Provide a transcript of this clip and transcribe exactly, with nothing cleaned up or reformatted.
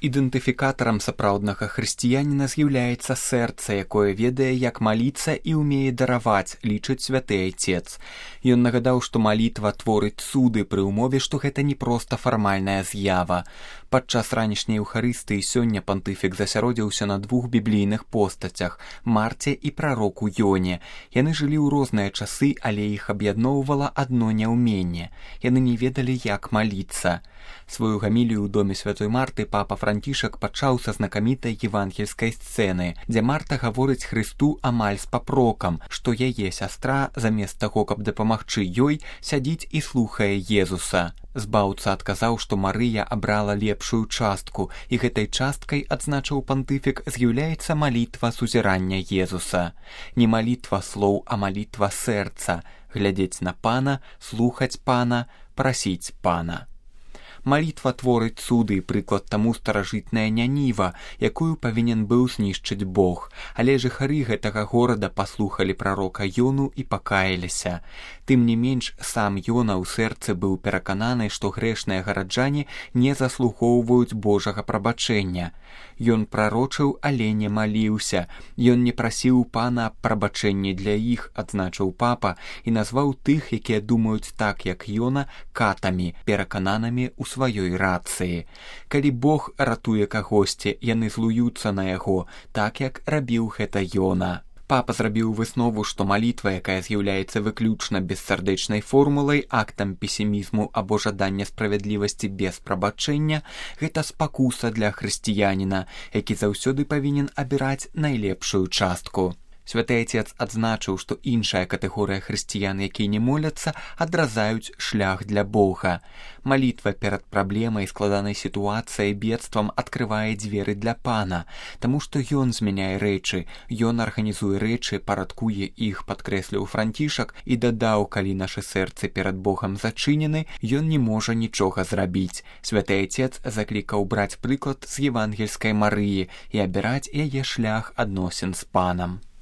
Ідэнтыфікатарам сапраўднага хрысціяніна з'яўляецца сэрца, якое ведае, як маліцца і ўмее дараваць, лічыць святы айцец. Ён нагадаў, што малітва творыць цуды пры ўмове, што гэта не проста фармальная з'ява. Падчас ранішняй Еўхарыстыі сёння пантыфік засяродзіўся на двух біблійных постацях – Марце і прароку Ёне. Яны жылі ў розныя часы, але іх аб'ядноўвала адно няўменне. Яны не ведалі, як маліцца. Сваю гамілію ў доме святой Марты папа Францішак пачаў са знакамітай евангельскай сцэны, дзе Марта гаворыць Хрысту амаль з папрокам, што яе сястра, замест таго, каб дапамагчы ёй, сядзіць і слухае Езуса. Збаўца адказаў, што Марыя абрала лепшую частку, і гэтай часткай, адзначыў пантыфік, з'яўляецца малітва сузірання Езуса. Не малітва слоў, а малітва сэрца, глядзець на Пана, слухаць Пана, прасіць Пана. Малітва творыць цуды, прыклад таму старажытная Няніва, якую павінен быў знішчыць Бог. Але жыхары гэтага горада паслухалі прарока Ёну і пакаяліся. Тым не менш, сам Ёна ў сэрцы быў перакананы, што грэшныя гараджане не заслугоўваюць Божага прабачэння. Ён прарочыў, але не маліўся. Ён не прасіў Пана прабачэння для іх, адзначыў папа, і назваў тых, якія думаюць так, як Ёна, катамі, перакананымі ў сваёй рацыі. Калі Бог ратуе кагосьці, яны злуюцца на яго, так як рабіў гэта Ёна. Папа зрабіў выснову, што малітва, якая з'яўляецца выключна бессардэчнай формулай, актам песімізму або жадання справядлівасці без прабачэння, гэта спакуса для хрысціяніна, які заўсёды павінен абіраць найлепшую частку. Святы айцец адзначыў, што іншая катэгорыя хрысціян, якія не моляцца, адразаюць шлях для Бога. Малітва перад праблемай, складанай сітуацыяй, бедствам адкрывае дзверы для Пана, таму што Ён змяняе рэчы, Ён арганізуе рэчы, парадкуе іх, падкрэсліў Францішак, і дадаў, калі нашы сэрцы перад Богам зачынены, Ён не можа нічога зрабіць. Святы айцец заклікаў браць прыклад з евангельскай Марыі і абіраць яе шлях адносін з Панам.